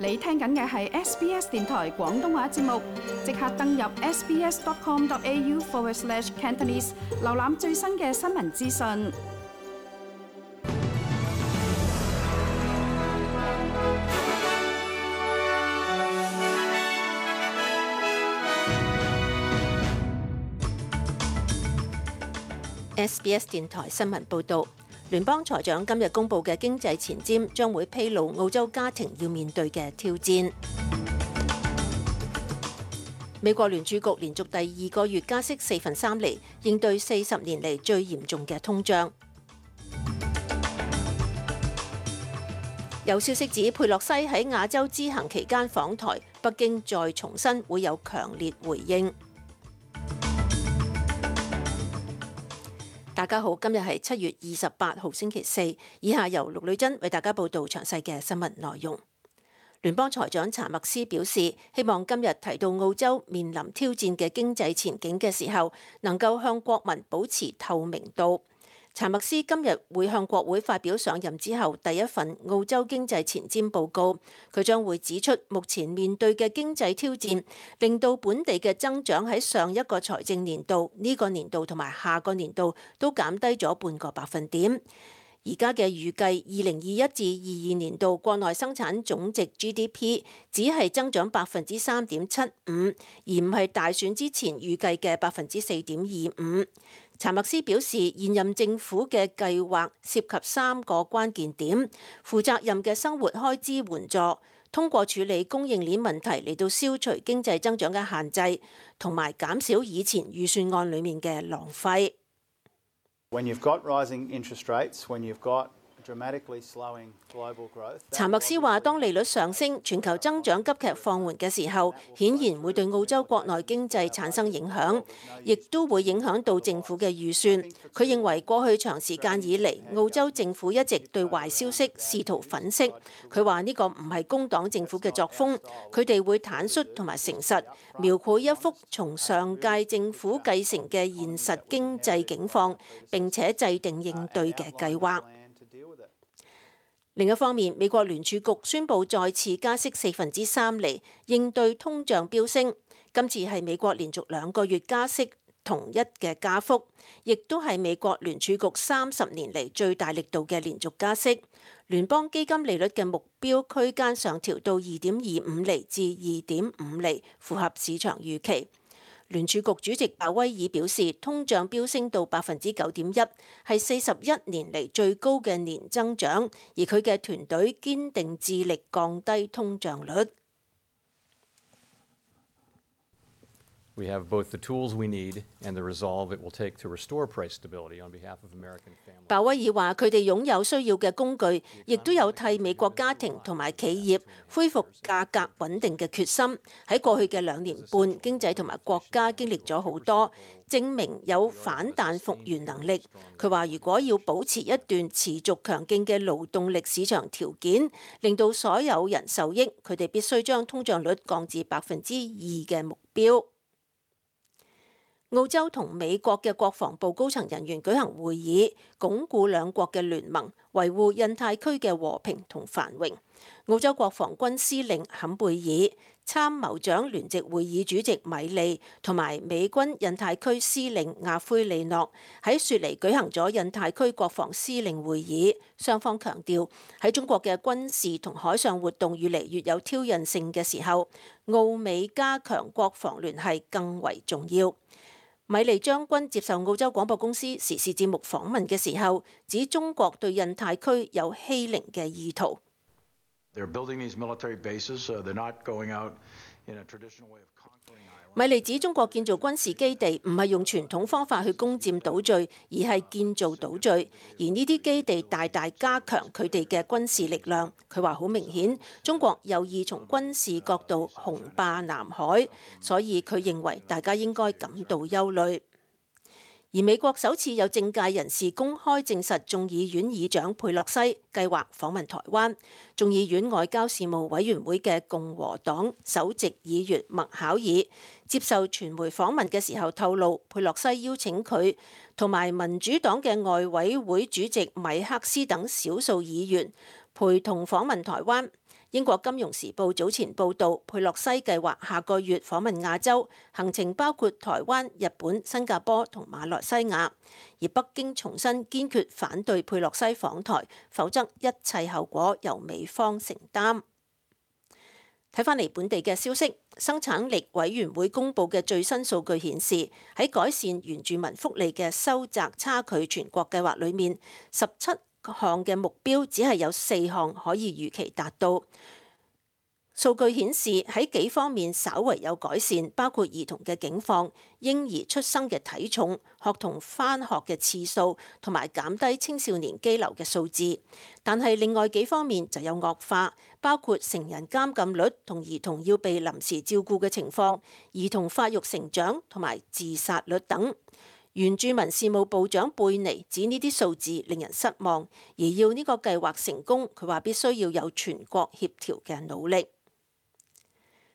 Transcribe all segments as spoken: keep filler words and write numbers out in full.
你聽緊嘅係 S B S 電台廣東話節目，即刻登入 sbs.com.au forward slash Cantonese， 瀏覽最新嘅新聞資訊。S B S 電台新聞報導。聯邦財長今日公布嘅經濟前瞻將會披露澳洲家庭要面對嘅挑戰。美國聯儲局連續第二個月加息四分三厘，應對四十年嚟最嚴重嘅通脹。有消息指佩洛西喺亞洲之行期間訪台，北京再重申會有強烈回應。大家好，今日係七月二十八號星期四，以下由陸女珍為大家報道詳細嘅新聞內容。聯邦財長查默斯表示，希望今日提到澳洲面臨挑戰嘅經濟前景嘅時候，能夠向國民保持透明度。查默斯今日會向國會發表上任之後第一份澳洲經濟前瞻報告，佢將會指出目前面對嘅經濟挑戰，令到本地嘅增長喺上一個財政年度、呢個年度同埋下個年度都減低咗半個百分點。而家嘅預計，二零二一至二二年度國內生產總值 G D P 只係增長百分之三點七五，而唔係大選之前預計嘅百分之四點二五。查默斯表示，現任政府嘅計劃涉及三個關鍵點：負責任嘅生活開支援助，通過處理供應鏈問題嚟到消除經濟增長嘅限制，同埋減少以前預算案裡面嘅浪費。When you've got rising interest rates, when you've got dramatically slowing global growth， 查默斯話，當利率上升、全球增長急劇放緩嘅時候，顯然會對澳洲國內經濟產生影響，亦都會影響到政府嘅預算。佢認為過去長時間以嚟，澳洲政府一直對壞消息試圖粉飾。佢話呢個唔係工黨政府嘅作風，佢哋會坦率同埋誠實，描繪一幅從上屆政府繼承嘅現實經濟境況，並且制定應對嘅計劃。另一方面，美國聯儲局宣布再次加息四分之三厘，應對通脹飆升。今次係美國連續兩個月加息同一嘅加幅，亦都係美國聯儲局三十年嚟最大力度嘅連續加息。聯邦基金利率嘅目標區間上調到二點二五厘至二點五厘，符合市場預期。聯儲局主席鮑威爾表示，通脹飆升到百分之九點一，係四十一年嚟最高嘅年增長，而佢嘅團隊堅定致力降低通脹率。We have both the tools we need and the resolve it will take to restore price stability on behalf of American families. 鮑威爾話：佢哋擁有需要嘅工具，亦都有替美國家庭同埋企業恢復價格穩定嘅決心。喺過去嘅兩年半，經濟同埋國家經歷咗好多，證明有反彈復原能力。佢話：如果要保持一段持續強勁嘅勞動力市場條件，令到所有人受益，佢哋必須將通脹率降至百分之二嘅目標。澳洲同美國嘅國防部高層人員舉行會議，鞏固兩國嘅聯盟，維護印太區嘅和平同繁榮。澳洲國防軍司令坎貝爾、參謀長聯席會議主席米利同埋美軍印太區司令亞奎利諾喺雪梨舉行咗印太區國防司令會議，雙方強調喺中國嘅軍事同海上活動越嚟越有挑釁性嘅時候，澳美加強國防聯繫更為重要。米利將軍接受澳洲廣播公司時事節目訪問嘅時候，指中國對印太區有欺凌嘅意圖。米利指中國建造軍事基地唔係用傳統方法去攻佔島嶼，而係建造島嶼，而呢啲基地大大加強佢哋嘅軍事力量。佢話好明顯，中國有意從軍事角度雄霸南海，所以佢認為大家應該感到憂慮。而美國首次有政界人士公開證實，眾議院議長佩洛西計劃訪問台灣。眾議院外交事務委員會嘅共和黨首席議員麥考爾接受傳媒訪問嘅時候透露，佩洛西邀請佢同埋民主黨嘅外委會主席米克斯等少數議員陪同訪問台灣。英國金融時報早前報導，佩洛西計劃下個月訪問亞洲，行程包括台灣、日本、新加坡同馬來西亞。而北京重申堅決反對佩洛西訪台，否則一切後果由美方承擔。睇返嚟本地嘅消息，生產力委員會公佈嘅最新數據顯示，喺改善原住民福利嘅收窄差距全國計劃裏面，十七項嘅目標只係有四項可以預期達到。數據顯示喺幾方面稍為有改善，包括兒童嘅境況、嬰兒出生嘅體重、學童返學嘅次數，同埋減低青少年羈留嘅數字。但係另外幾方面就有惡化，包括成人監禁率同兒童要被臨時照顧嘅情況、兒童發育成長同埋自殺率等。原住民事務部長貝尼指呢啲數字令人失望，而要呢個計劃成功，佢話必須要有全國協調嘅努力。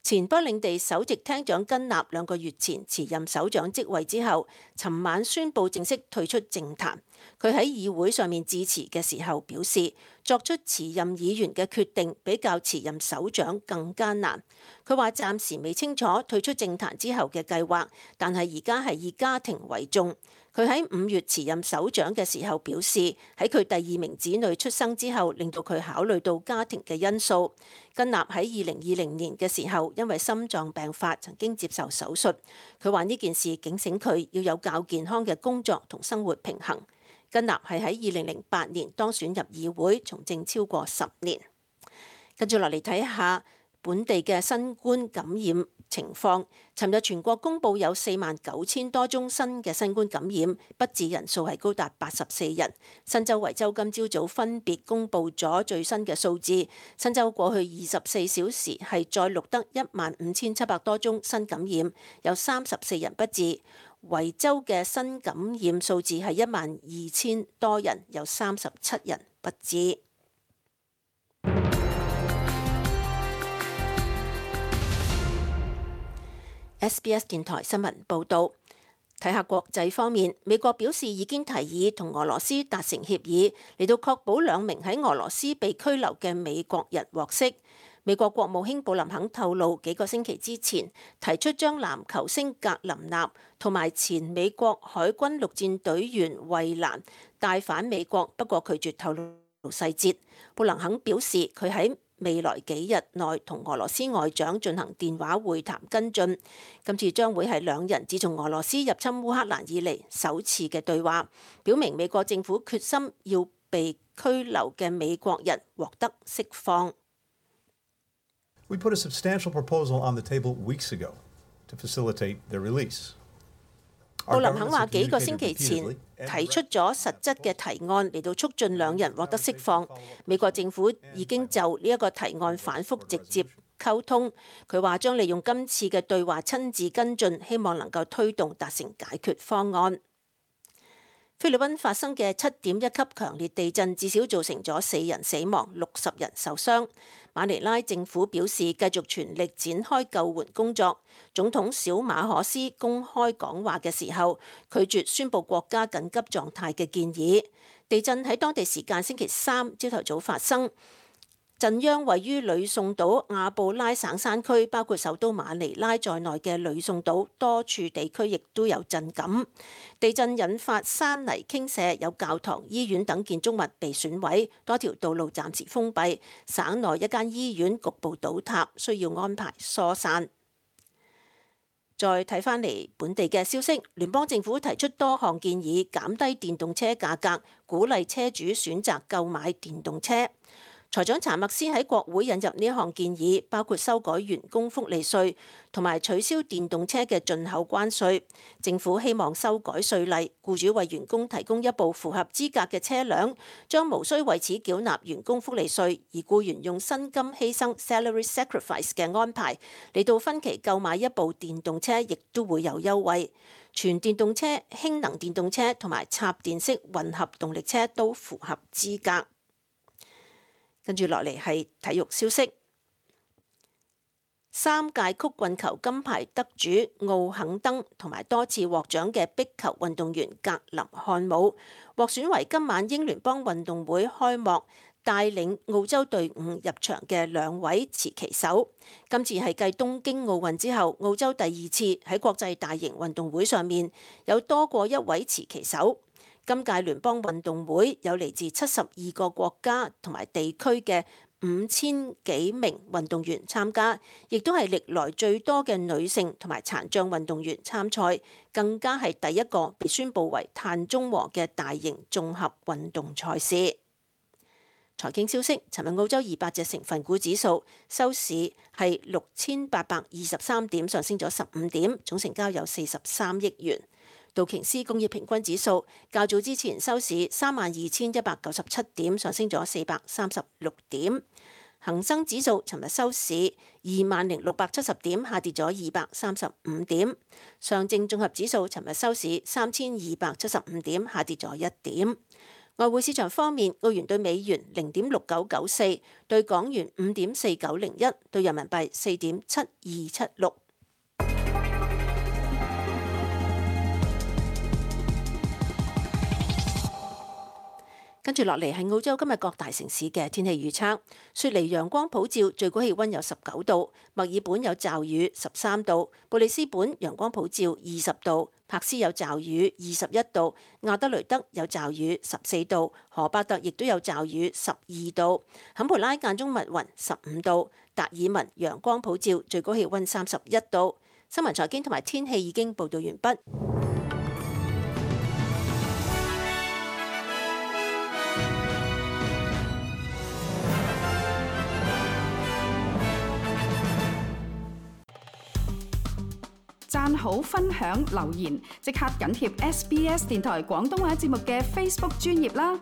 前北領地首席廳長根納兩個月前辭任首長職位之後，尋晚宣布正式退出政壇。佢喺議會上面致辭嘅時候表示，作出辭任議員嘅決定比較辭任首長更艱難。佢話暫時未清楚退出政壇之後嘅計劃，但係而家係以家庭為重。佢喺五月辭任首長嘅時候表示，喺佢第二名子女出生之後，令到佢考慮到家庭嘅因素。根納喺二零二零年嘅時候，因為心臟病發曾經接受手術。佢話呢件事警醒佢要有較健康嘅工作同生活平衡。根納係喺二零零八年當選入議會，從政超過十年。跟住落嚟睇下本地嘅新冠感染情況。尋日全國公佈有四萬九千多宗新嘅新冠感染，不治人數係高達八十四人。新州、維州今朝早分別公佈咗最新嘅數字。新州過去二十四小時係再錄得一萬五千七百多宗新感染，有三十四人不治。維州嘅新感染數字係一萬二千多人，有三十七人不治。S B S 電台新聞報導，睇下國際方面，美國表示已經提議同俄羅斯達成協議，嚟到確保兩名喺俄羅斯被拘留嘅美國人獲釋。美國國務卿布林肯透露，幾個星期之前提出將籃球星格林納同埋前美國海軍陸戰隊員惠蘭帶返美國，不過拒絕透露細節。布林肯表示，佢喺未來幾日內同俄羅斯外長進行電話會談跟進。今次將會係兩人自從俄羅斯入侵烏克蘭以嚟首次嘅對話，表明美國政府決心要被拘留嘅美國人獲得釋放。We put a substantial proposal on the table weeks ago to facilitate their release. 布林肯話幾個星期前提出咗實質嘅提案嚟到促進兩人獲得釋放。美國政府已經就呢一個提案反覆直接溝通。佢話將利用今次嘅對話親自跟進，希望能夠推動達成解決方案。菲律賓發生嘅七點一級強烈地震，至少造成咗四人死亡，六十人受傷。馬尼拉政府表示繼續全力展開救援工作。總統小馬可斯公開講話嘅時候，拒絕宣布國家緊急狀態嘅建議。地震喺當地時間星期三朝頭早發生。震央位於呂宋島亞布拉省山區，包括首都馬尼拉在內嘅呂宋島多處地區亦都有震感。地震引發山泥傾瀉，有教堂、醫院等建築物被損毀，多條道路暫時封閉。省內一間醫院局部倒塌，需要安排疏散。再睇返嚟本地嘅消息，聯邦政府提出多項建議，減低電動車價格，鼓勵車主選擇購買電動車。財長查默斯喺國會引入呢一項建議，包括修改員工福利稅同埋取消電動車嘅進口關稅。政府希望修改稅例，僱主為員工提供一部符合資格嘅車輛，將無需為此繳納員工福利稅，而僱員用薪金犧牲 salary sacrifice 嘅安排嚟到分期購買一部電動車，亦都會有優惠。全電動車、氫能電動車同埋插電式混合動力車都符合資格。跟住落嚟係體育消息，三屆曲棍球金牌得主奧肯登同埋多次獲獎嘅壁球運動員格林漢姆獲選為今晚英聯邦運動會開幕帶領澳洲隊伍入場嘅兩位持旗手。今次係繼東京奧運之後，澳洲第二次喺國際大型運動會上面有多過一位持旗手。今屆聯邦運動會有嚟自七十二個國家同埋地區嘅五千幾名運動員參加，亦都係歷來最多嘅女性同埋殘障運動員參賽，更加係第一個被宣佈為碳中和嘅大型綜合運動賽事。財經消息，尋日澳洲二百隻成分股指數收市係六千八百二十三點，上升咗十五點，總成交有四十三億元。道瓊斯工業平均指數較早之前收市三萬二千一百九十七點，上升咗四百三十六點。恒生指數尋日收市二萬零六百七十點，下跌咗二百三十五點。上證綜合指數尋日收市三千二百七十五點，下跌咗一點。外匯市場方面，澳元對美元零點六九九四，對港元五點四九零一，對人民幣四點七二七六。跟住落嚟係澳洲今日各大城市嘅天氣預測。雪梨陽光普照，最高氣溫有十九度；墨爾本有驟雨，十三度；布里斯本陽光普照，二十度；珀斯有驟雨，二十一度；亞德雷德有驟雨，十四度；荷伯特亦都有驟雨，十二度；坎培拉間中密雲，十五度；達爾文陽光普照，最高氣溫三十一度。新聞財經同埋天氣已經報道完畢。讚好、分享、留言，即刻緊貼 S B S 電台廣東話節目嘅 Facebook 專頁啦！